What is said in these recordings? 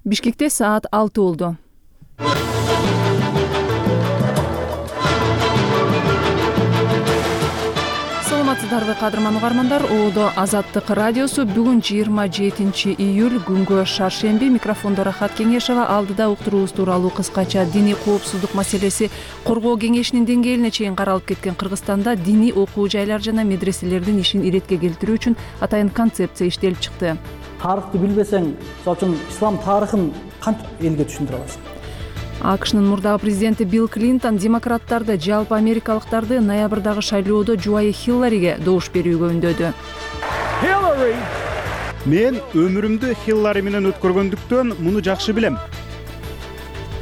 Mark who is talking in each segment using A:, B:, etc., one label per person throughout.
A: Бишкекте саат 6 болду. Саламатсыздарбы кадырман угармандар, Оодо Азаттык радиосу бүгүн 27 июль күнгө шаршемби. Микрофондо Рахат Кеңешова. Алдыда уктуруубуз тууралуу кыскача диний коопсуздук маселеси коргоо кеңешинин деңгээлине чейин каралып кеткен Кыргызстанда диний окуу жайлар жана медреселердин ишин иретке келтирүү үчүн атайын концепция иштелип чыкты.
B: Тарыхты билбесең, мисалы үчүн ислам тарыхын кантип элге түшүндүрө аласың?
A: АКШнын мурдагы президенти Билл Клинтон демократтарды, жалпы америкалыктарды ноябрдагы шайлоодо жубайы Хиллариге добуш берүүгө үндөдү.
C: Мен өмүрүмдү Хиллари менен өткөргөндүктөн муну жакшы билем.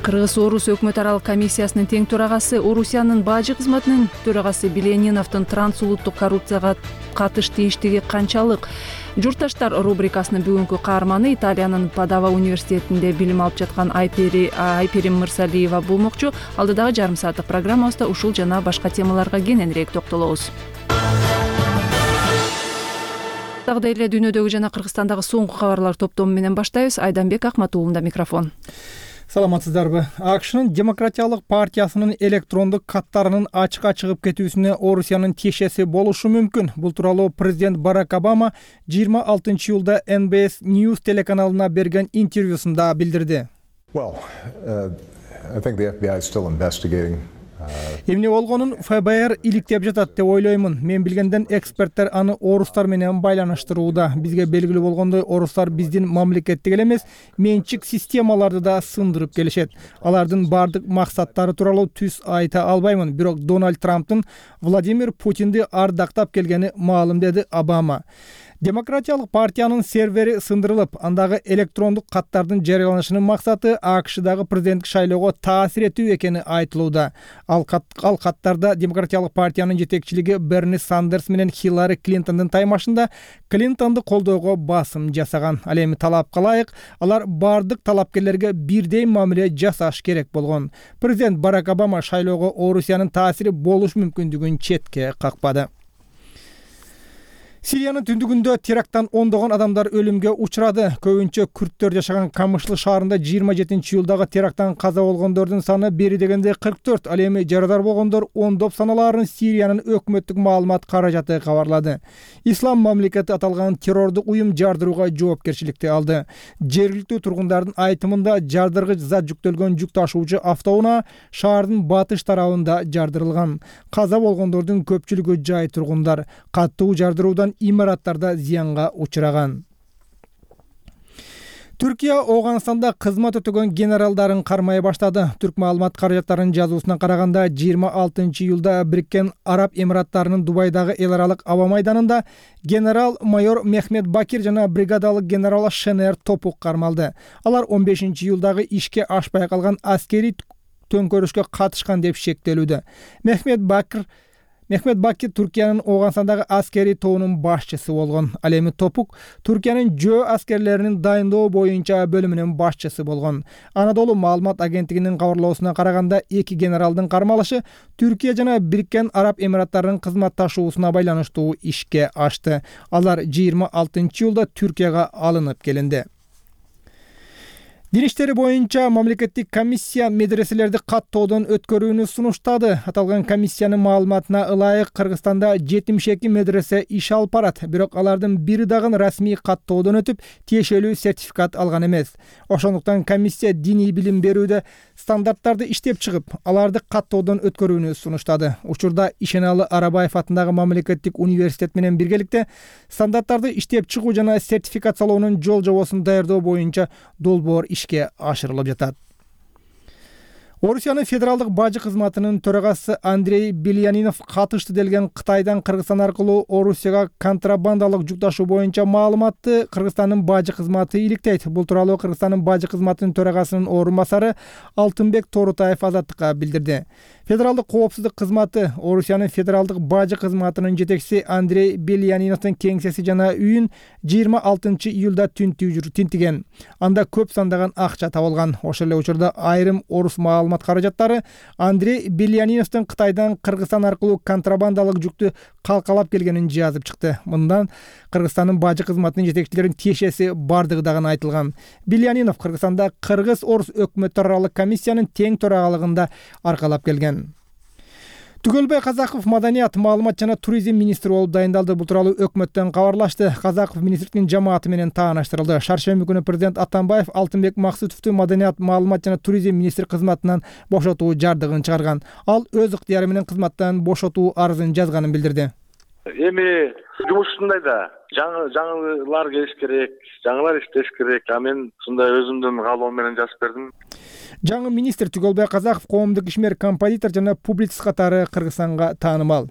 A: Кыргыз-Орус өкмөт аралык комиссиясынын тең төрагасы, Орусиянын бажы кызматынын төрагасы Билениновдун трансулуттук коррупцияга катыш тийиштиги канчалык? Журтташтар рубрикасынын бүгүнкү каарманы Италиянын Падава университетинде билим алып жаткан Айперим Мырсалиева болмокчу. Алдыдагы жарым сааттык программабызда ушул жана башка темаларга кененирээк токтолобуз. Дагы эле дүйнөдөгү жана Кыргызстандагы соңку кабарлар топтому менен баштайбыз. Айданбек Акматуулунда микрофон.
D: Саламатсыздарбы. АКШнын Демократиялык партиясынын электрондук каттарынын ачыкка чыгып кетүүсүнө Орусиянын тиешеси болушу мүмкүн. Бул тууралуу президент Барак Обама 26 июлда NBS News телеканалына берген интервьюсунда билдирди. Эмне болгонун ФБР иликтеп жатат деп ойлоймун. Мен билгенден эксперттер аны орустар менен байланыштырууда. Бизге белгилүү болгондой, орустар биздин мамлекеттик эле эмес, менчик системаларды да сындырып келишет. Алардын бардык максаттары тууралуу түз айта албаймын, бирок Дональд Трамптын Владимир Путинди ардактап келгени маалым, деди Обама. Демократиялык партиянын сервери сындырылып, андагы электрондук каттардын жарыяланышынын максаты АКШдагы президенттик шайлоого таасир этүү экени айтылууда. Ал каттарда Демократиялык партиянын жетекчилиги Берни Сандерс менен Хиллари Клинтондун таймашында Клинтонду колдоого басым жасаган. Ал эми талапка ылайык алар бардык талапкерлерге бирдей мамиле жасаш керек болгон. Президент Барак Обама шайлоого Орусиянын таасири болушу мүмкүндүгүн четке какпады. Сириянын түндүгүндө теракттан ондогон адамдар өлүмгө учурады. Көбүнчө күрттөр жашаган Камышлы шаарында 27 июлдагы теракттан каза болгондордун саны бери дегенде 44. Ал эми жарадар болгондор ондоп саналаарын Сириянын өкмөттүк маалымат каражаты кабарлады. Ислам мамлекети аталган террордук уюм жардырууга жоопкерчиликти алды. Жергиликтүү тургундардын айтымында жардыргыч зат жүктөлгөн жүк ташуучу автоунаа шаардын батыш тарабында жардырылган. Каза болгондордун көпчүлүгү жай тургундар. Каттуу жардыруудан имараттарда зыянга учураган. Түркия Оганстанда кызмат өтөгөн генералдарын кармай баштады. Түрк маалымат каражаттарынын жазуусуна караганда 26 июлда Бириккен Араб Эмираттарынын Дубайдагы эл аралык аба майданында генерал-майор Мехмет Бакир жана бригадалык генерал Шенер Топук кармалды. Алар 15 июлдагы ишке ашпай калган аскерий төңкөрүшкө катышкан деп шектелүүдө. Мехмет Бакир Түркиянын Оганстандагы аскерий тобунун башчысы болгон. Ал эми Топук Түркиянын жөө аскерлеринин дайындоо боюнча бөлүмүнүн башчысы болгон. Анадолу маалымат агенттигинин кабарлоосуна караганда, эки генералдын кармалышы Түркия жана Бириккен Араб Эмираттарынын кызматташуусуна байланыштуу ишке ашты. Алар 26 июлда Түркияга алынып келинди. Дин иштери боюнча мамлекеттик комиссия медреселерди каттоодон өткөрүүнү сунуштады. Аталган комиссиянын маалыматына ылайык Кыргызстанда 72 медресе иш алып барат, бирок алардын бири дагы расмий каттоодон өтүп, тиешелүү сертификат алган эмес. Ошондуктан комиссия диний билим берүүдө стандарттарды иштеп чыгып, аларды каттоодон өткөрүүнү сунуштады. Учурда Ишеналы Арабаев атындагы мамлекеттик университет менен биргеликте стандарттарды иштеп чыгуу жана сертификациялоонун жол жобосун даярдоо боюнча долбоор ишке ашырылып жатат. Орусиянын федералдык бажы кызматынын төрагасы Андрей Бельянинов катышты делген Кытайдан Кыргызстан аркылуу Орусияга контрабандалык жүк ташуу боюнча маалыматты Кыргызстандын бажы кызматы иликтейт. Бул тууралуу Кыргызстандын бажы кызматынын төрагасынын орун басары Алтынбек Торутаев Азаттыкка билдирди. Федералдык коопсуздук кызматы Орусиянын федералдык бажы кызматынын жетекчиси Андрей Бельяниновдун кеңсеси жана үйүн 26 июлда тинтиген. Анда көп сандаган акча табылган. Ошол эле учурда айрым орус маалымат каражаттары Андрей Бельяниновдун Кытайдан Кыргызстан аркылуу контрабандалык жүктү калкалап келгенин жазып чыкты. Мындан Кыргызстандын бажы кызматынын жетекчилеринин тиешеси бардыгы дагы айтылган. Бельянинов Кыргызстанда Кыргыз-Орус өкмөттөр аралык комиссиянын тең төрагалыгында аркалап келген. Түгөлбай Казаков маданият, маалымат жана туризм министри болуп дайындалды. Бул тууралуу өкмөттөн кабарлашты. Казаков министрликтин жамааты менен тааныштырылды. Шаршемби күнү президент Атамбаев Алтынбек Максутовду маданият, маалымат жана туризм министри кызматынан бошотуу жардыгын чыгарган. Ал өз ыктыяры менен кызматтан бошотуу арызын жазганын билдирди.
E: Эми жумуш ушундай да. Жаңылар келиш керек, жаңылар иштеш керек. Мен ушундай өзүмдүн каалоом менен жазып бердим.
D: Жаңы министр Түгөлбай Казаков коомдук ишмер, композитор жана публицист катары Кыргызстанга таанымал.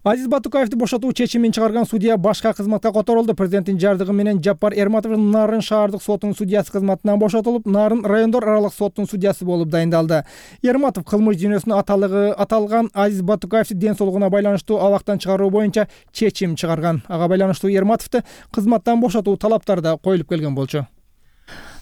D: Азиз Батукаевди бошотуу чечимин чыгарган судья башка кызматка которулду. Президенттин жардыгы менен Жаппар Эрматов Нарын шаардык сотунун судьясы кызматынан бошотулуп, Нарын райондор аралык соттун судьясы болуп дайындалды. Эрматов кылмыш жүйнөсүнө аталган Азиз Батукаевди ден соолугуна байланыштуу абактан чыгаруу боюнча чечим чыгарган. Ага байланыштуу Эрматовду кызматтан бошотуу талаптары да коюлуп келген болчу.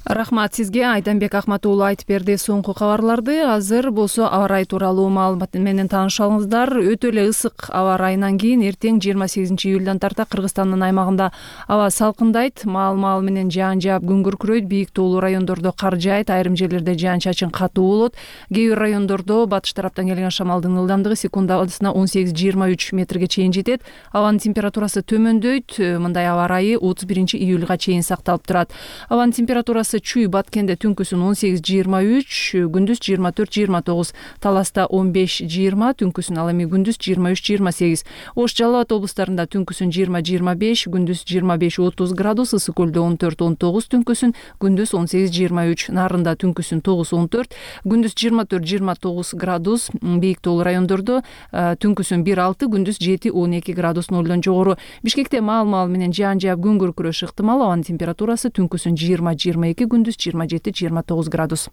A: Рахмат сизге. Айданбек Ахмат уулу айтып берди соңку кабарларды. Азыр болсо аба ырайы тууралуу маалымат менен таанышалыңыздар. Өтө эле ысык аба ырайынан кийин эртең 28 июлдан тарта Кыргызстандын аймагында аба салкындайт. Маал менен жаан жаап күн күркүрөйт. Бийик тоолуу райондордо кар жаайт. Айрым жерлерде жаан чачын катуу болот. Кээ бир райондордо батыш тараптан келген шамалдын ылдамдыгы секундасына 18-23 метрге чейин жетет. Абанын температурасы төмөндөйт. Мындай аба ырайы 31 июлга чейин сакталып турат. Абанын температурасы Чүй Баткенде түнкүсүн 18-23, күндүз 24-29, Таласта 15-20, түнкүсүн ал эми күндүз 23-28. Ош Жалал Абад облустарында түнкүсүн 20-25, күндүз 25-30 градус, Ысык көлдө 14-19, түнкүсүн күндүз 18-23, Нарында түнкүсүн 9-14, күндүз 24-29 градус, бийик тоолуу райондордо түнкүсүн 1-6, күндүз 7-12 градус нолдон жогору. Бишкекте маал менен жаан жаап күн күркүрөш ыктымал. Абанын температурасы түнкүсүн 20-22, күндүз 27-29 градус.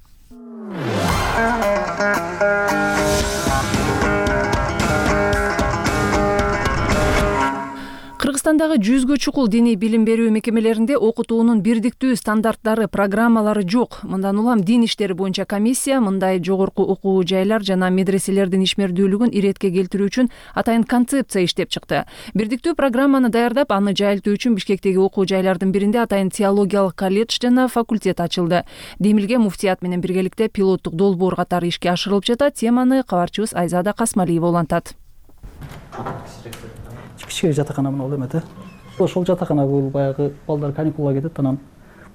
A: Кыргызстандагы 100гө чукул диний билим берүү мекемелеринде окутуунун бирдиктүү стандарттары, программалары жок. Мындан улам дин иштери боюнча комиссия мындай жогорку окуу жайлар жана медреселердин ишмердүүлүгүн иретке келтирүү үчүн атайын концепция иштеп чыкты. Бирдиктүү программаны даярдап, аны жайылтуу үчүн Бишкектеги окуу жайлардын биринде атайын теологиялык колледж жана факультет ачылды. Демилге муфтият менен биргеликте пилоттук долбоор катары ишке ашырылып жатат. Теманы кабарчыбыз Айзада Касмалиева улантат.
B: Кичине жатакана менен ол эмете. Ошол жатакана бул баягы балдар каникулга кетет, анан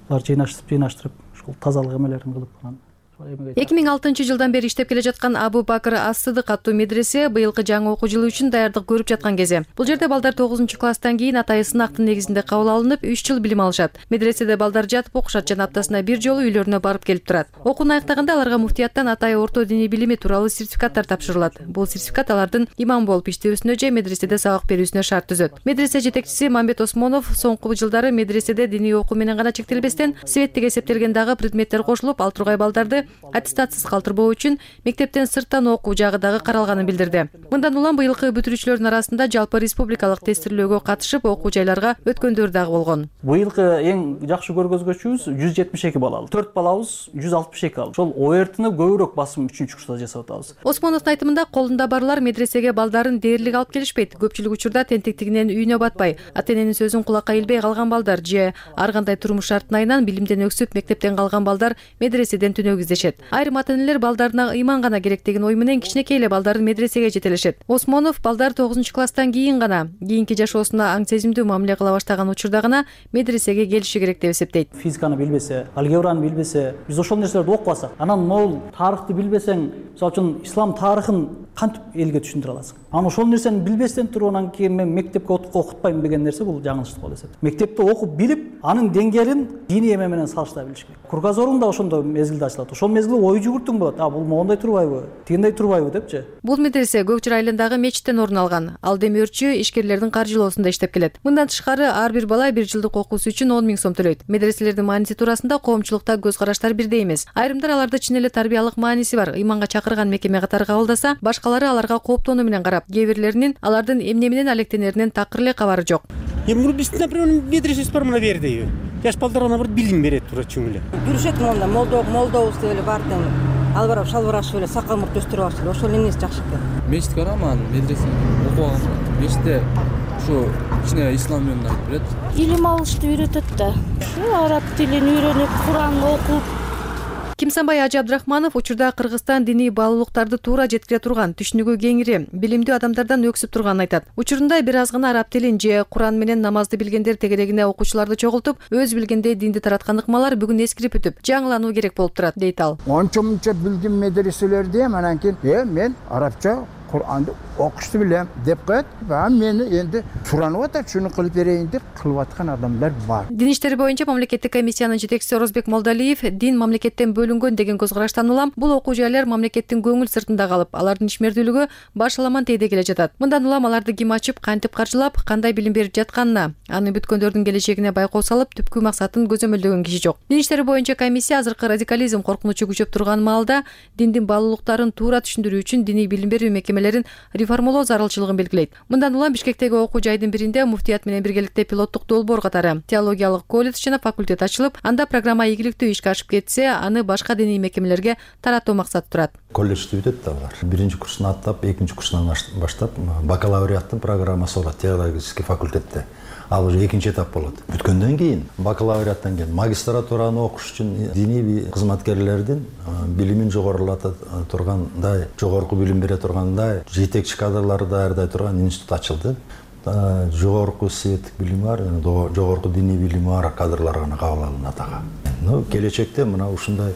B: булар жыйнаштырып, ошол тазалык эмелерин кылып анан
F: 2006-жылдан бери иштеп келе жаткан Абу Бакыр Ас-Сыдык аттуу медресе быйылкы жаңы окуу жылы үчүн даярдык көрүп жаткан кезде. Бул жерде балдар 9-класстан кийин атайы сынактын негизинде кабыл алынып, 3 жыл билим алышат. Медреседе балдар жатып окушат жана аптасына бир жолу үйлөрүнө барып келип турат. Окууну аяктаганда аларга муфтияттан атайы орто диний билими тууралуу сертификаттар тапшырылат. Бул сертификат алардын имам болуп иштөөсүнө же медреседе сабак берүүсүнө шарт түзөт. Медресе жетекчиси Мамбет Осмонов соңку жылдары медреседе диний окуу менен гана чектелбестен, светтик эсептелген дагы предметтер кошулуп, ал тургай балдарды аттестатсыз калтырбоо үчүн мектептен сырттан окуу жагы дагы каралганын билдирди. Мындан улам быйылкы бүтүрүүчүлөрдүн арасында жалпы республикалык тестирлөөгө катышып окуу жайларга өткөндөр дагы болгон.
B: Быйылкы эң жакшы көргөзгүчүбүз 172 балалы. 4 балабыз 162 алды. Ошол ОРТны көбүрөөк басым 3-курста жасап атабыз.
F: Осмоновдун айтымында колунда барлар медресеге балдарын дээрлик алып келишпейт. Көпчүлүк учурда тентектигинен үйүнө батпай, ата-эненин сөзүн кулакка илбей калган балдар же ар кандай турмуш шартына айынан билимден өксүп мектептен калган балдар медреседен түнөк издешет. Айрым ата-энелер балдарына ыйман гана керек деген ой менен кичинекей эле балдарын медресеге жетелешет. Осмонов балдар 9-класстан кийин гана кийинки жашоосуна аң сезимдүү мамиле кыла баштаган учурда гана медресеге келиши керек деп эсептейт.
B: Физиканы билбесе, алгебраны билбесе, биз ошол нерселерди окубасак, анан могул тарыхты билбесең, мисалы үчүн ислам тарыхын кантип элге түшүндүрө аласың? Анан ошол нерсени билбестен туруп анан кийин мен мектепке окутпайм деген нерсе бул жаңылыштык болуп эсептейм. Мектепте окуп билип, анын деңгээлин диний эме менен салыштыра билиш керек. Кругозорун да ошондой мезгилде ачылат. Ошол мезгилде ой жүгүртүң болот. Бул моундай турбайбы? Тигиндей турбайбы депчи.
F: Бул медресе Көкчүр айылындагы мечиттен орун алган. Ал демөөрчү ишкерлердин каржылоосунда иштеп келет. Мындан тышкары ар бир бала 1 жылдык окуусу үчүн 10 000 сом төлөйт. Медреселердин мааниси туурасында коомчулукта көз караштар бирдей эмес. Айрымдар аларды чын эле тарбиялык мааниси бар ыйманга чакырган мекеме катары кабылдаса, башкалары аларга кооптонуу менен карап, кээ бирлеринин алардын эмне менен алектенеринен такыр эле кабары жок.
G: Бул биздин, например, медресебиз бар мына берди. Жаш балдарга набырт билим берет тура чүң эле.
H: Жүрүшөт монда молдобуз деп эле бардым. Ал барып шалбар ачып эле сакал мурт өстүрүп алышты. Ошол эмнеси жакшы экен.
I: Мечит барам, медресе окуган. Мечитте ушу кичине ислам менен айтып берет.
J: Илим алышты үйрөтөт да. Ушу араб тилин үйрөнүп, Куран окуп.
F: Кимсанбай Ажы Абдрахманов учурда Кыргызстан диний баалуулуктарды туура жеткире турган, түшүнүгү кеңири, билимдүү адамдардан өксүп турганын айтат. Учурунда бир аз гана араб тилин же Куран менен намазды билгендер тегерегине окуучуларды чогултуп, өз билгендей динди тараткан ыкмалар бүгүн эскирип өтүп, жаңылануу керек болуп турат, дейт ал.
K: Ончо-мунча билдим медреселерде, анан кийин мен арабча Куранды окушту билем деп коет. Мени энди суранып атат, шуну кылып берейин деп кылып аткан адамдар бар.
F: Дин иштери боюнча мамлекеттик комиссиянын жетекчиси Орозбек Молдалиев дин мамлекеттен бөлүнгөн деген көз караштан улам бул окуу жайлар мамлекеттин көңүл сыртында калып, алардын ишмердүүлүгү башаламан тейде келе жатат. Мындан улам аларды ким ачып, кантип каржылап, кандай билим берип жатканына, аны бүткөндөрдүн келечегине байкоо салып, түпкү максатын көзөмөлдөгөн киши жок. Дин иштери боюнча комиссия азыркы радикализм коркунучу күчөп турган маалда диндин баалуулуктарын туура түшүндүрүү үчүн диний билим берүү мекемелерин реформалоо зарылчылыгын белгилейт. Мындан улам Бишкектеги окуу жайдын биринде муфтият менен биргеликте пилоттук долбоор катары теологиялык колледж жана факультет ачылып, анда программа ийгиликтүү ишке ашып кетсе, аны башка диний мекемелерге таратуу максаты турат.
L: Колледжди бүтөт да алар. Биринчи курсун аттап, экинчи курсунан баштап бакалавриаттын программасы болот теологический факультетте. Ал уже экинчи этап болот. Бүткөндөн кийин бакалавриаттан кийин магистратураны окуш үчүн диний кызматкерлердин билимин жогорулата тургандай, жогорку билим бере тургандай, жетекчи кадрларды даярдай турган институт ачылды. Жогорку светтик билими бар, жогорку диний билими бар кадрлар гана кабыл алынат ага. Келечекте мына ушундай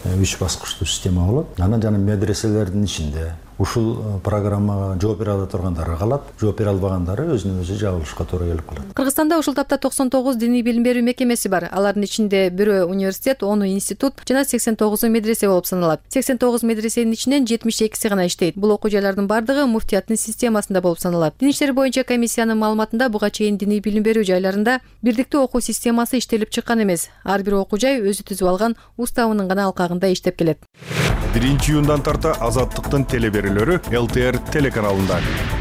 L: 3 баскычтуу система болот. Анан жана медреселердин ичинде ушул программага жооп бере ала тургандары калат, жооп бере албагандары өзүнө өзү жабылышка туура келип калат.
F: Кыргызстанда ушул тапта 99 диний билим берүү мекемеси бар. Алардын ичинде 1 университет, 10 институт жана 89 медресе болуп саналат. 89 медресенин ичинен 72си гана иштейт. Бул окуу жайлардын бардыгы муфтияттын системасында болуп саналат. Дин иштери боюнча комиссиянын маалыматында буга чейин диний билим берүү жайларында бирдиктүү окуу системасы иштелип чыккан эмес. Ар бир окуу жай өзү түзүп алган уставынын гана алкагында иштеп келет.
M: 1-июндан тарта Азаттыктын телеберүүлөрү ЛТР телеканалында.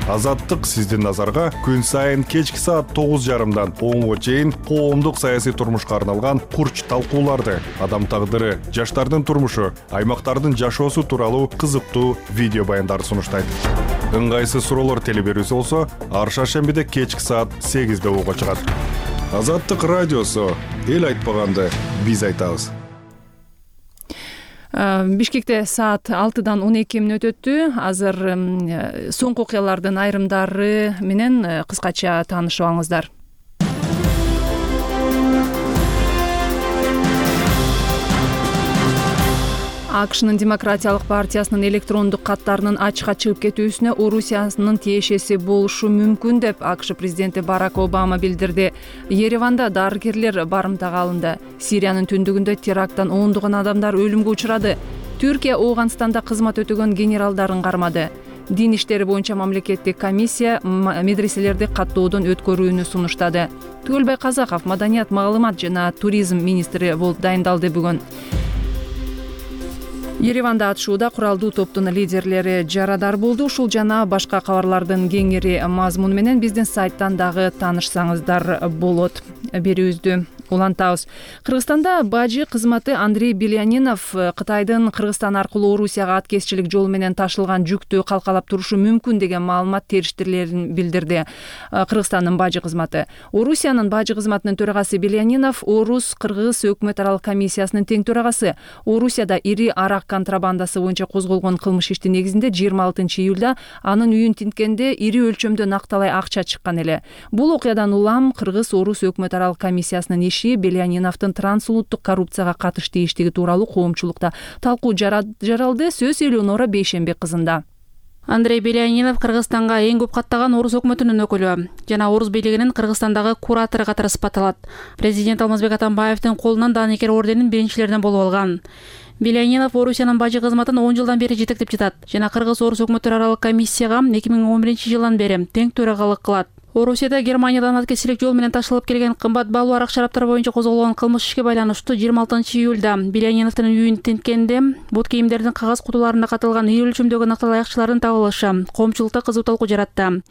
M: Азаттык сиздин назарга күн сайын кечки саат 9:30дан 10:00 чейин коомдук саясий турмушка арналган курч талкууларды, адам тагдыры, жаштардын турмушу, аймактардын жашоосу тууралуу кызыктуу видео баяндарды сунуштайт. Ыңгайсыз суроолор телеберүүсү болсо, ар шаршембиде кечки саат 8:00 угуга чыгат. Азаттык радиосу, эл айтпаганды биз айтабыз.
A: Бишкекте саат 6-дан 12 мүнөт өттү. Азыр соңку окуялардын айрымдары менен кыскача таанышып алыңыздар. АКШнын Демократиялык партиясынын электрондук каттарынын ачыкка чыгып кетүүсүнө Орусиянын тиешеси болушу мүмкүн деп АКШ президенти Барак Обама билдирди. Ереванда дарыгерлер барымтага алынды. Сириянын түндүгүндө теракттан ондогон адамдар өлүмгө учурады. Түркия Ооганстанда кызмат өтөгөн генералдарын кармады. Дин иштери боюнча мамлекеттик комиссия медреселерди каттоодон өткөрүүнү сунуштады. Түгөлбай Казаков маданият, маалымат жана туризм министри болуп дайындалды бүгүн. Ереванда атышууда куралдуу топтун лидерлери жарадар болду. Ушул жана башка кабарлардын кеңири мазмуну менен биздин сайттан дагы таанышсаңыздар болот. Берүүбүздү улантабыз. Кыргызстанда бажы кызматы Андрей Белянинов Кытайдын Кыргызстан аркылуу Орусияга аткезчилик жол менен ташылган жүктү калкалап турушу мүмкүн деген маалымат териштирлерин билдирди. Кыргызстандын бажы кызматы. Орусиянын бажы кызматынын төрагасы Белянинов Орус-Кыргыз өкмөт аралык комиссиясынын тең төрагасы. Орусияда ири арак контрабандасы боюнча козголгон кылмыш иштин негизинде 26 июлда анын үйүн тинткенде ири өлчөмдө накталай акча чыккан эле. Бул окуядан улам Кыргыз-Орус өкмөт аралык комиссиясынын иши Беляниновдун трансулуттук коррупцияга катыштуу иштиги тууралуу коомчулукта талкуу жаралды. Сөз Элеонора Бейшембек кызында.
N: Андрей Белянинов Кыргызстанга эң көп каттаган орус өкмөтүнүн өкүлү жана орус бийлигинин Кыргызстандагы куратору катары сыпатталат. Президент Алмазбек Атамбаевдин колунан Даникер орденин биринчилеринен болуп алган. Белянинов Орусиянын бажы кызматын 10 жылдан бери жетектеп жатат жана Кыргыз-Орус өкмөттөр аралык комиссияга 2011-жылдан бери тең төрагалык кылат. Орусияда Германиядан аткесилик жол менен ташылып келген кымбат баалуу арак шараптар боюнча козголгон кылмыш ишке байланыштуу 26-июлда Беляниновдун үйүн тинткенде бут кийимдердин кагаз кутуларында катылган үй өлчөмдөгү нактал аякчылардын табылышы коомчулукта кызуу талкуу жаратты.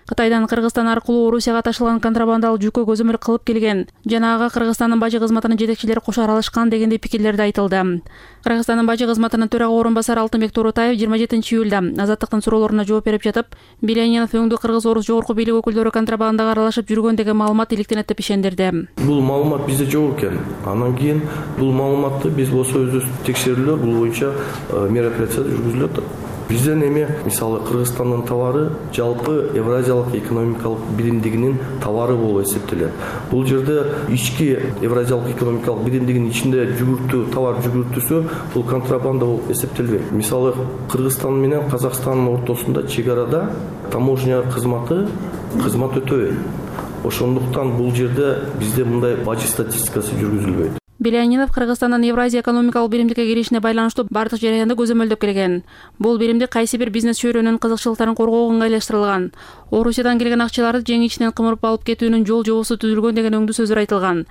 N: Кытайдан Кыргызстан аркылуу Орусияга ташылган контрабандалык жүккө көзөмөл кылып келген жана ага Кыргызстандын бажы кызматынын жетекчилери кошо аралашкан дегендей пикирлерди айтылды. Кыргызстандын бажы кызматынын төрага орун басары Алтынбек Турутаев 27-июлда Азаттыктын суроолоруна жооп берип жатып, Белянинов өңдүү кыргыз-орус жогорку бийлик өкүлдөрү контрабандага аралашып жүргөн деген маалымат иликтенет деп ишендирди.
O: Бул маалымат бизде жок экен. Анан кийин бул маалыматты биз болсо өзүбүз текшерүүлөр бул боюнча мероприятия жүргүзүлүп атат. Бизден эми мисалы Кыргызстандын товары жалпы Евразиялык экономикалык биримдигинин товары болуп эсептелет. Бул жерде ички Евразиялык экономикалык биримдигинин ичинде товар жүгүртүүсү бул контрабанда болуп эсептелбейт. Мисалы Кыргызстан менен Казакстандын ортосунда чек арада таможня кызмат өтөбөйт. Ошондуктан бул жерде бизде мындай бажы статистикасы жүргүзүлбөйт.
N: Белянинов Кыргызстандын Евразия экономикалык биримдикке киришине байланыштуу бардык жараянды көзөмөлдөп келген. Бул биримдик кайсы бир бизнес чөйрөнүн кызыкчылыктарын коргоого ыңгайлаштырылган. Орусиядан келген акчаларды жең ичинен кымырып алып кетүүнүн жол жобосу түзүлгөн деген өңдүү сөздөр айтылган.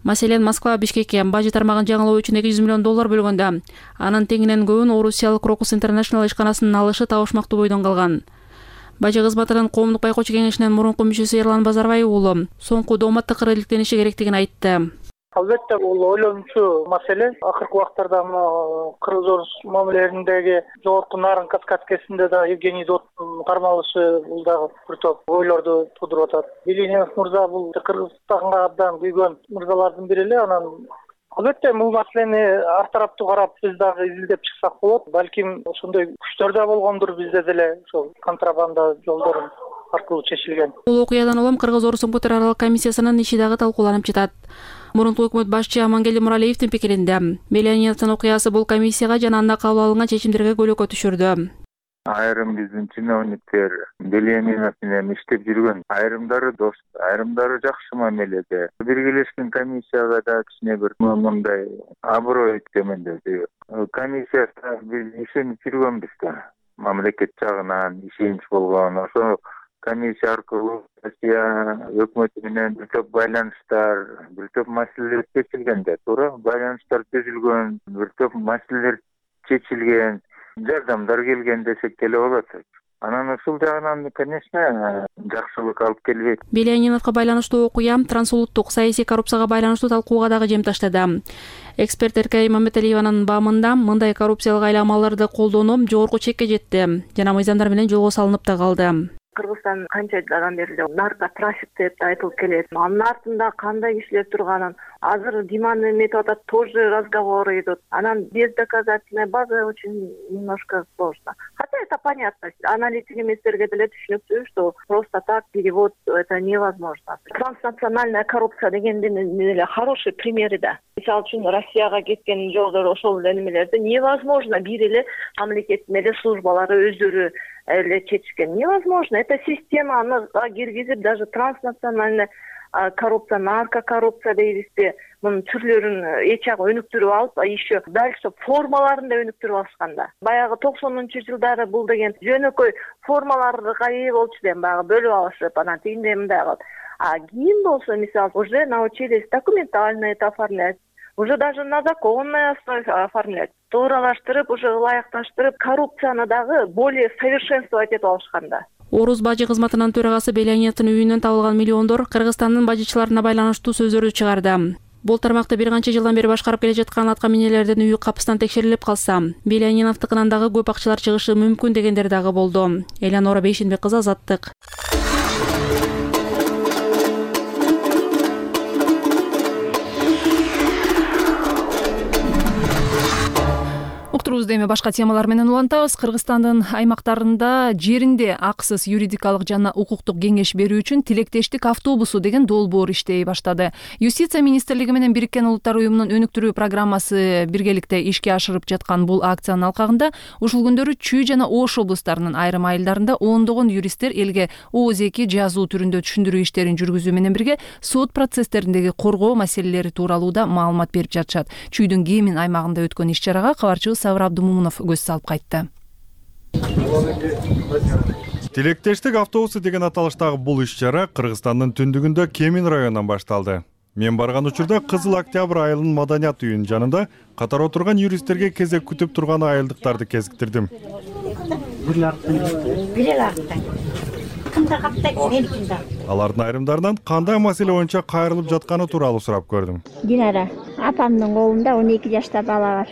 N: Маселен, Москва Бишкекке бажы тармагын жаңылоо үчүн 200 миллион доллар бөлгөндө, анын теңинен көбүн Орусиялык Crocus International ишканасынын алышы табышмактуу бойдон калган. Бажы кызматынын коомдук байкоочу кеңешинин мурунку мүчөсү Эрлан Базарбай уулу соңку доомат тыкыры иликтениши керектигин айтты.
P: Албетте бул ойлонучу маселе. Акыркы убактарда кыргыз-орус мамилелериндеги жогорку нарын каскадкесинде да Евгений Зоттун кармалышы бул дагы бир топ ойлорду туудуруп атат. Белянинов мырза бул Кыргызстанга абдан күйгөн мырзалардын бири эле. Анан албетте бул маселени ар тараптуу карап биз дагы изилдеп чыксак болот. Балким ошондой күчтөр да болгондур бизде деле ошол контрабанда жолдорун аркылуу чечилген.
N: Бул окуядан улам Кыргыз-орус өкмөттөр аралык комиссиясынын иши дагы талкууланып жатат. Мурунку өкмөт башчы Амангелди Муралиевдин пикиринде Беляниновдун окуясы бул комиссияга жана анда кабыл алынган чечимдерге көйлөккө түшүрдү.
Q: Айрым биздин чиновниктер Белянинов менен иштеп жүргөн. Айрымдары дос, айрымдары жакшы мамиледе. Биргелешкен комиссияга да кичине бир мындай аброй төмөндөдү. Комиссияда биз ишенип жүргөнбүз да. Мамлекет жагынан ишенич болгон. Ошо комиссия аркылуу Россия өкмөтү менен бир топ байланыштар, бир топ маселелер чечилгенде, туура байланыштар түзүлгөн, бир топ маселелер чечилген, жардамдар келген десек деле болот. Анан ушул жагынан, конечно, жакшылык алып келбейт.
N: Беляниновго байланыштуу окуя трансулуттук саясий коррупцияга байланыштуу талкууга дагы жем таштады. Эксперт Эркай Маматалиеванын баамында мындай коррупциялык айламаларды колдонуу жогорку чекке жетти жана мыйзамдар менен жолго салынып да калды.
R: Кыргызстан канча жылдан бери наркотрафик деп айтылып келет. Анын артында кандай кишилер турганын азыр Диманы эметип атат, тоже разговоры идут. Анан бездоказательная база очень немножко сложно. Хотя это понятно. Аналитик эместерге деле түшүнүктүү, что просто так перевод это невозможно. Транснациональная коррупция дегендин эле хороший примери да. Мисалы үчүн Россияга кеткен жолдор ошол немелерди невозможно бир эле мамлекеттин эле службалары өздөрү эле чечишкен. Невозможно. Это система, аны киргизип даже транснациональная коррупция, наркокоррупция дейбизби, мунун түрлөрүн эчак өнүктүрүп алып, еще дальше формаларын да өнүктүрүп алышканда. Баягы 90-жылдары бул деген жөнөкөй формаларды кайы болчу деп баягы бөлүп алышып, анан тигиндей мындай кылып. А кийин болсо, мисалы, уже научились документально это оформлять. Уже даже на законной основе оформлять. Тууралаштырып, уже ылайыкташтырып, коррупцияны дагы более совершенствовать этип алышканда.
N: Орус бажы кызматынын төрагасы Беляниновдун үйүнөн табылган миллиондор Кыргызстандын бажычыларына байланыштуу сөздөрдү чыгарды. Бул тармакты бир канча жылдан бери башкарып келе жаткан атка минелердин үйү капыстан текшерилип калса, Беляниновдукунан дагы көп акчалар чыгышы мүмкүн дегендер дагы болду. Элянора Бейшенбек кызы, Азаттык.
A: Берүүбүздү эми башка темалар менен улантабыз. Кыргызстандын аймактарында жеринде акысыз юридикалык жана укуктук кеңеш берүү үчүн тилектештик автобусу деген долбоор иштей баштады. Юстиция министрлиги менен Бириккен Улуттар уюмунун өнүктүрүү программасы биргеликте ишке ашырып жаткан бул акциянын алкагында ушул күндөрү Чүй жана Ош облустарынын айрым айылдарында ондогон юристтер элге ооз-2 жазуу түрүндө түшүндүрүү иштерин жүргүзүү менен бирге сот процесстериндеги коргоо маселелери тууралуу да маалымат берип жатышат. Чүйдүн Кемин аймагында өткөн иш-чарага кабарчыбыз Сабыр Абдумумунов көз салып кайтты.
M: Тилектештик автобусу деген аталыштагы бул иш-чара Кыргызстандын түндүгүндө Кемин районунан башталды. Мен барган учурда Кызыл Октябрь айылынын маданият үйүнүн жанында катар отурган юристтерге кезек күтүп турган айылдыктарды кезиктирдим. Алардын айрымдарынан кандай маселе боюнча кайрылып жатканы тууралуу сурап көрдүм.
S: Динара, апамдын колунда 12 жашта бала бар.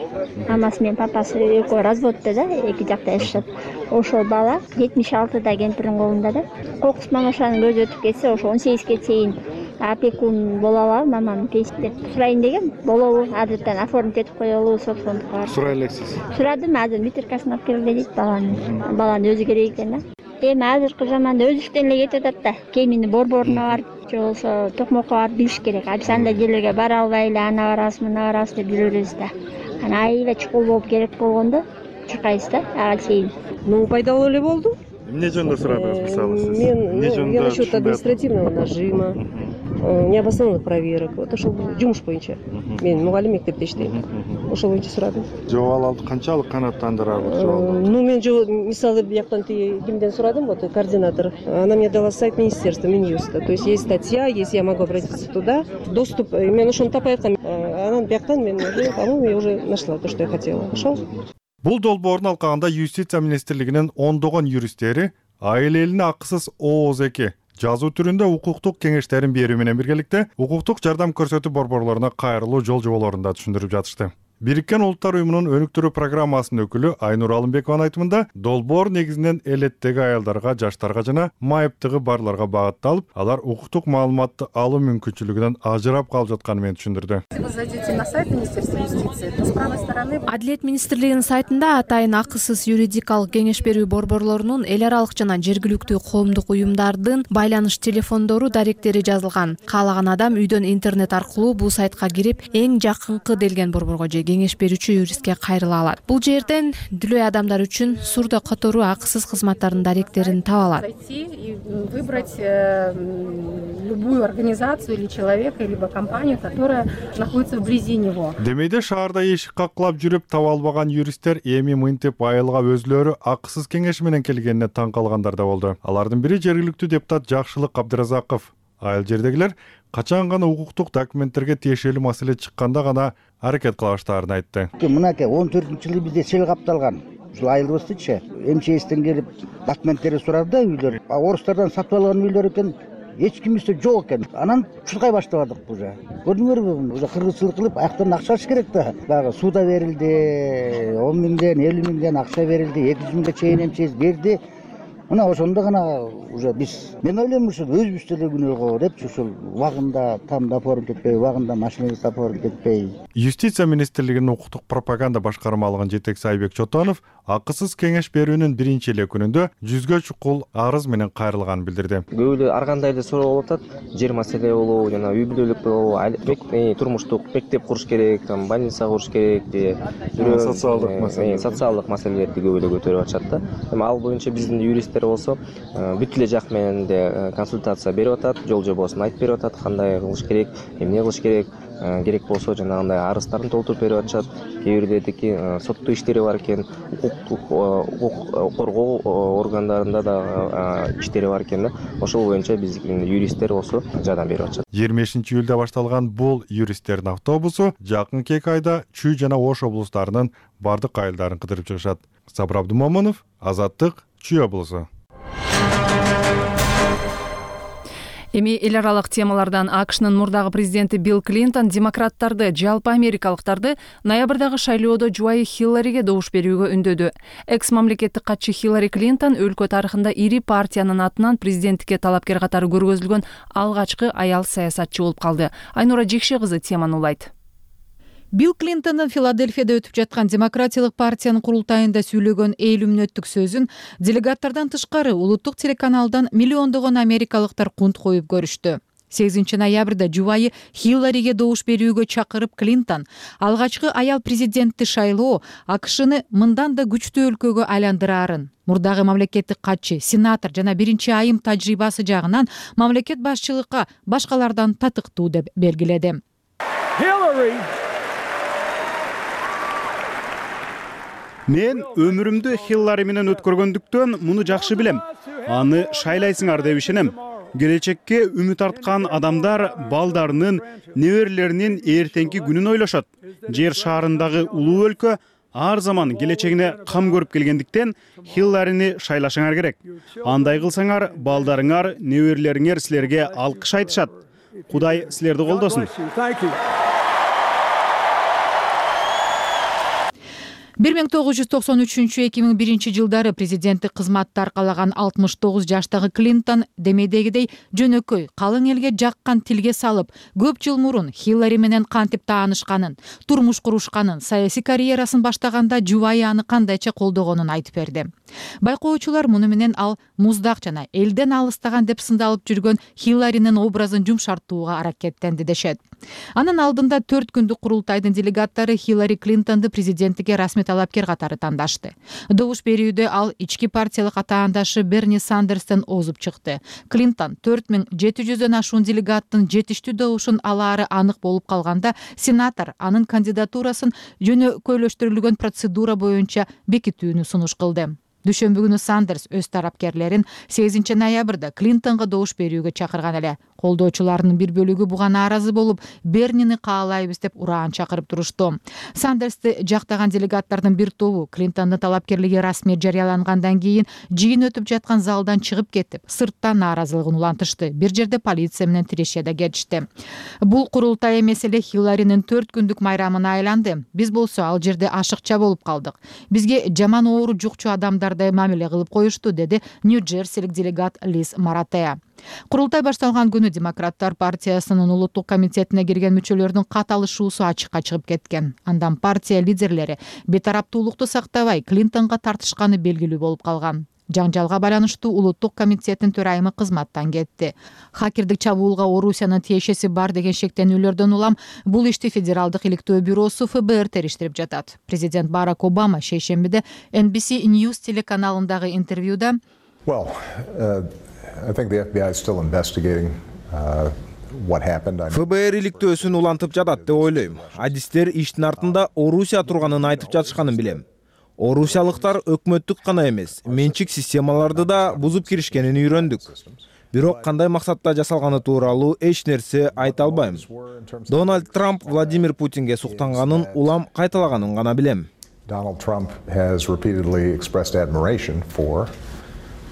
S: Амасы менен папасы экөө разводдо да, эки жакта жашашат. Ошол бала 76-да кемпирдин колунда да. Кокус мамашанын көзү өтүп кетсе, ошо 18ге чейин опекун боло алабы, мамам деп сурайын деген. Болобу, азыртан оформить этип коелу, собственникке.
M: Сурай элексиз.
S: Сурадым, азыр метрикасын алып келгиле дейт баланын. Баланын өзү керек экен да. Эми азыркы заманда өзүлүктөн эле кетип атат да. Кемини борборуна барып, же болбосо токмокко барып билиш керек. Биз андай жерлерге бара албай эле ана барабыз, мына барабыз деп жүрөбүз да. Ана айла чукул болуп керек болгондо чыкайбыз да, ага чейин.
T: Пайдалуу эле болду.
M: Эмне жөнүндө сурадыңыз, мисалы сиз?
T: Я насчет административного нажима, необоснованных проверок. Вот ошол жумуш боюнча. Мен мугалим мектепте иштейм. Ошол боюнча сурадым.
M: Жоолалды канчалык канааттандырабыз?
T: Мен мисалы бияктан кимден сурадым, вот координатор. Она мне дала сайт министерства, Минюста. То есть есть статья, если я могу обратиться туда, доступ. Мен ошону тапай аткам. Анан бияктан мен уже, по-моему, я уже нашла то, что я хотела. Ошол.
M: Бул долбоордун алкагында Юстиция министрлигинин ондогон юристтери айыл элине акысыз ооз-2 жазуу түрүндө укуктук кеңештерин берүү менен биргеликте укуктук жардам көрсөтүү борборлоруна кайрылуу жол жоболорун да түшүндүрүп жатышты. Бириккен Улуттар уюмунун өнүктүрүү программасынын өкүлү Айнур Алымбекованын айтымында, долбоор негизинен элеттеги аялдарга, жаштарга жана майыптыгы барларга багытталып, алар укуктук маалыматты алуу мүмкүнчүлүгүнөн ажырап калып жатканын менен түшүндүрдү.
U: Вы зайдете на сайт Министерства юстиции, то с правой стороны
F: Адилет министрлигинин сайтында атайын акысыз юридикалык кеңеш берүү борборлорунун эл аралык жана жергиликтүү коомдук уюмдардын байланыш телефондору, даректери жазылган. Каалаган адам үйдөн интернет аркылуу бул сайтка кирип, эң жакынкы делген борборго же кеңеш берүүчү юристке кайрыла алат. Бул жерден дүлөй адамдар үчүн сурда которуу акысыз кызматтардын даректерин таба алат.
U: Зайти и выбрать любую организацию или человека, либо компанию, которая находится вблизи него.
M: Демейде шаарда эшик каклап жүрүп таба албаган юристтер эми мынтип айылга өзлөрү акысыз кеңеш менен келгенине таң калгандар да болду. Алардын бири жергиликтүү депутат Жакшылык Абдыразаков. Айыл жердегилер качан гана укуктук документтерге тиешелүү маселе чыкканда гана аракет кылыштарын айтты.
V: Мынакей 14-жылы бизде сел капталган. Ушул айылыбыздычы МЧСтен келип документтерди сурады да үйлөр. Орустардан сатып алган үйлөр экен. Эч кимибизде жок экен. Анан чуркай баштадык уже. Көрдүңөрбү? Уже кыргызчылык кылып аяктан акча алыш керек да. Дагы суда берилди, 10 миңден, 50 миңден акча берилди, 200 миңге чейин МЧС берди. Мына ошондо гана уже мен ойлойм ушул өзүбүз деле күнөөгө депчи ушул убагында тамда оформить этпей, убагында машинабызды оформить этпей.
M: Юстиция министрлигинин укуктук пропаганда башкармалыгынын жетекчиси Айбек Чотонов акысыз кеңеш берүүнүн биринчи эле күнүндө 100гө чукул арыз менен кайрылганын билдирди.
W: Көп эле ар кандай эле суроо болуп атат. Жер маселе болобу, жана үй бүлөлүк болобу, турмуштук мектеп куруш керек, больница куруш керек, же социалдык маселелерди көп эле көтөрүп атышат да. Эми ал боюнча биздин юристтер болсо бүт эле жак менен де консультация берип атат, жол жобосун айтып берип атат, кандай кылыш керек, эмне кылыш керек. Керек болсо жанагындай арыздарын толтуруп берип атышат. Кээ бирлердики соттуу иштери бар экен, укук коргоо органдарында да иштери бар экен да. Ошол боюнча биздин юристтер болсо жардам берип атышат.
M: 20-июлда башталган бул юристтердин автобусу жакынкы 2 айда Чүй жана Ош облустарынын бардык айылдарын кыдырып чыгышат. Сабыр Абдумомунов, Азаттык, Чүй облусу.
A: Эми эл аралык темалардан АКШнын мурдагы президенти Билл Клинтон демократтарды, жалпы америкалыктарды ноябрдагы шайлоодо жубайы Хиллариге добуш берүүгө үндөдү. Экс-мамлекеттик катчы Хиллари Клинтон өлкө тарыхында ири партиянын атынан президенттикке талапкер катары көргөзүлгөн алгачкы аял саясатчы болуп калды. Айнура Жекше кызы теманы улайт.
C: Билл Клинтондун Филадельфияда өтүп жаткан Демократиялык партиянын курултайында сүйлөгөн 50 мүнөттүк сөзүн делегаттардан тышкары улуттук телеканалдан миллиондогон америкалыктар кунт коюп көрүштү. 8 ноябрда жубайы Хиллариге добуш берүүгө чакырып Клинтон алгачкы аял президентти шайлоо АКШны мындан да күчтүү өлкөгө айландыраарын, мурдагы мамлекеттик катчы, сенатор жана биринчи айым тажрыйбасы жагынан мамлекет башчылыкка башкалардан татыктуу деп белгиледи.
D: Мен өмүрүмдү Хиллари менен өткөргөндүктөн муну жакшы билем. Аны шайлайсыңар деп ишенем. Келечекке үмүт арткан адамдар балдарынын, неберелеринин эртеңки күнүн ойлошот. Жер шаарындагы улуу өлкө ар заман келечегине кам көрүп келгендиктен Хилларини шайлашыңар керек. Андай кылсаңар, балдарыңар, неберелериңер силерге алкыш айтышат. Кудай силерди колдосун.
C: 1993-2001 жылдары президенттик кызматты аркалаган 69 жаштагы Клинтон демейдегидей жөнөкөй, калың элге жаккан тилге салып, көп жыл мурун Хиллари менен кантип таанышканын, турмуш курушканын, саясий карьерасын баштаганда жубайы аны кандайча колдогонун айтып берди. Байкоочулар муну менен ал муздак жана элден алыстаган деп сындалып жүргөн Хилларинин образын жумшартууга аракеттенди дешет. Анын алдында 4 күндүк курултайдын делегаттары Хиллари Клинтонду президенттикке расмий талапкер катары тандашты. Добуш берүүдө ал ички партиялык атаандашы Берни Сандерстен озуп чыкты. Клинтон 4700дөн ашуун делегаттын жетиштүү добушун алаары анык болуп калганда, сенатор анын кандидатурасын жөнөкөйлөштүрүлгөн процедура боюнча бекитүүнү сунуш кылды. Дүйшөмбү күнү Сандерс өз тарапкерлерин 8 ноябрда Клинтонго добуш берүүгө чакырган эле. Колдоочуларынын бир бөлүгү буга нааразы болуп, Бернини каалайбыз деп ураан чакырып турушту. Сандерсти жактаган делегаттардын бир тобу Клинтондун талапкерлиги расмий жарыялангандан кийин жыйын өтүп жаткан залдан чыгып кетип, сырттан нааразылыгын улантышты. Бир жерде полиция менен тиреше да кетишти. Бул курултай эмес эле Хилларинин 4 күндүк майрамына айланды. Биз болсо ал жерде ашыкча болуп калдык. Бизге жаман оору жукчу адамдардай мамиле кылып коюшту, деди Нью-Джерсилик делегат Лиз Маратея. Курултай башталган күнү Демократтар партиясынын улуттук комитетине кирген мүчөлөрдүн кат алышуусу ачыкка чыгып кеткен. Андан партия лидерлери бетараптуулукту сактабай Клинтонго тартышканы белгилүү болуп калган. Жаңжалга байланыштуу улуттук комитеттин төрайымы кызматтан кетти. Хакердик чабуулга Орусиянын тиешеси бар деген шектенүүлөрдөн улам бул ишти Федералдык иликтөө бюросу ФБР териштирип жатат. Президент Барак Обама шейшембиде NBC News телеканалындагы интервьюда
E: ФБР иликтөөсүн улантып жатат деп ойлойм. Адистер иштин артында Орусия турганын айтып жатышканын билем. Орусиялыктар өкмөттүк гана эмес, менчик системаларды да бузуп киришкенин үйрөндүк. Бирок кандай максатта жасалганы тууралуу эч нерсе айта албайм. Дональд Трамп Владимир Путинге суктанганын улам кайталаганын гана билем.
X: Donald Trump has repeatedly expressed admiration for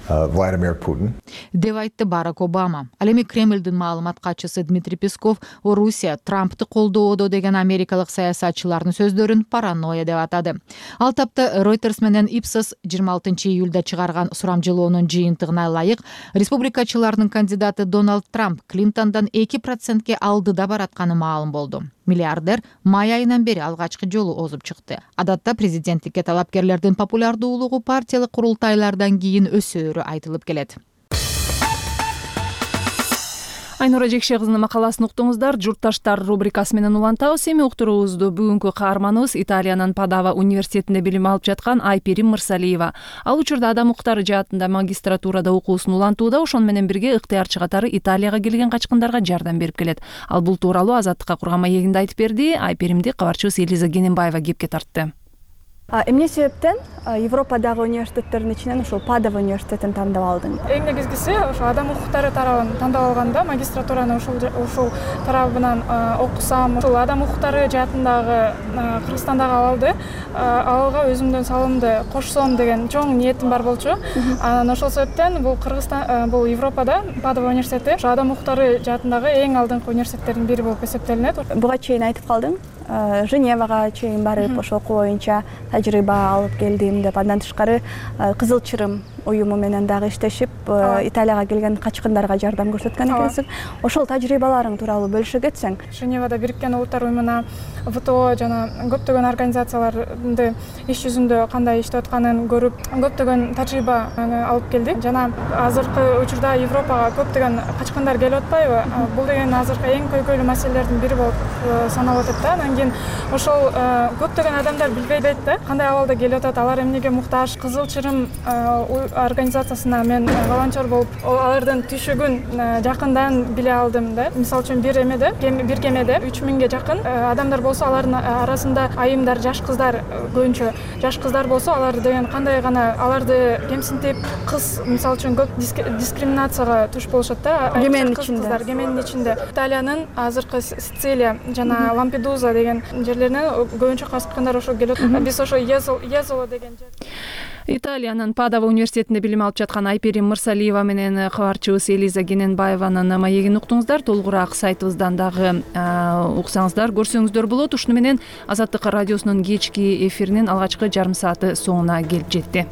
X: Vladimir Putin.
C: Деп айтты Барак Обама. Ал эми Кремлдин маалымат катчысы Дмитрий Песков Орусия Трампты колдоодо деген америкалык саясатчылардын сөздөрүн паранойя деп атады. Ал тапта Reuters менен Ipsos 26 июлда чыгарган сурамжылоонун жыйынтыгына ылайык республикачылардын кандидаты Дональд Трамп Клинтондан 2%ке алдыда баратканы маалым болду. Миллиардер май айынан бери алгачкы жолу озуп чыкты. Адатта президенттикке талапкерлердин популярдуулугу партиялык курултайлардан кийин өсөөрү айтылып келет.
A: Айнура Жекше кызынын макаласын уктуңуздар. Журтташтар рубрикасы менен улантабыз. Эми уктуруубузду бүгүнкү каарманыбыз Италиянын Падава университетинде билим алып жаткан Айпирим Мырсалиева. Ал учурда адам укуктары жаатында магистратурада окуусун улантууда, ошону менен бирге ыктыярчы катары Италияга келген качкындарга жардам берип келет. Ал бул тууралуу Азаттыкка курган маегинде айтып берди. Айпиримди кабарчыбыз Элиза Гененбаева кепке тартты.
Y: Эмне себептен Европадагы университеттердин ичинен ушул Падава университетин тандап алдың?
Z: Эң негизгиси ошо адам укуктары тарабын тандап алганда магистратураны ушул тарабынан окусам, ушул адам укуктары жаатындагы Кыргызстандагы абалды алга өзүмдүн салымды кошсом деген чоң ниетим бар болчу. Анан ошол себептен бул Кыргызстан, бул Европада Падава университети адам укуктары жаатындагы эң алдыңкы университеттердин бири болуп эсептелинет.
Y: Буга чейин айтып калдың. Женевага чейин барып ошол окуу боюнча тажрыйба алып келдим деп, андан тышкары Кызыл Чырым уюму менен дагы иштешип Италияга келген качкындарга жардам көрсөткөн экенсиң. Ошол тажрыйбаларың тууралуу бөлүшө кетсең.
Z: Женевада Бириккен Улуттар уюмуна, ВТО жана көптөгөн организацияларды иш жүзүндө кандай иштеп атканын көрүп, көптөгөн тажрыйба алып келдик. Жана азыркы учурда Европага көптөгөн качкындар келип атпайбы? Бул деген азыркы эң көйгөйлүү маселелердин бири болуп саналып атат да. Анан кийин ошол көптөгөн адамдар билбей дейт да, кандай абалда келип атат, алар эмнеге муктаж. Кызыл Чырым организациясына мен волонтер болуп, алардын түшүгүн жакындан биле алдым да. Мисалы үчүн бир кемеде 3000ге жакын адамдар болсо, алардын арасында айымдар, жаш кыздар, көбүнчө жаш кыздар болсо, алар деген кандай гана аларды кемсинтип, кыз мисалы үчүн көп дискриминацияга туш болушат да. Кеменин ичинде. Италиянын азыркы Сицилия жана Лампедуза деген жерлеринен көбүнчө качкындар ошо келип атат. Биз ошо Езоло деген жер.
A: Италиянын Падова университетинде билим алып жаткан Айперим Мырсалиева менен кабарчыбыз Элиза Кененбаеванын маегин уктуңуздар. Толугураак сайтыбыздан дагы уксаңыздар, көрсөңүздөр болот. Ушуну менен Азаттык радиосунун кечки эфиринин алгачкы жарым сааты соңуна келип жетти.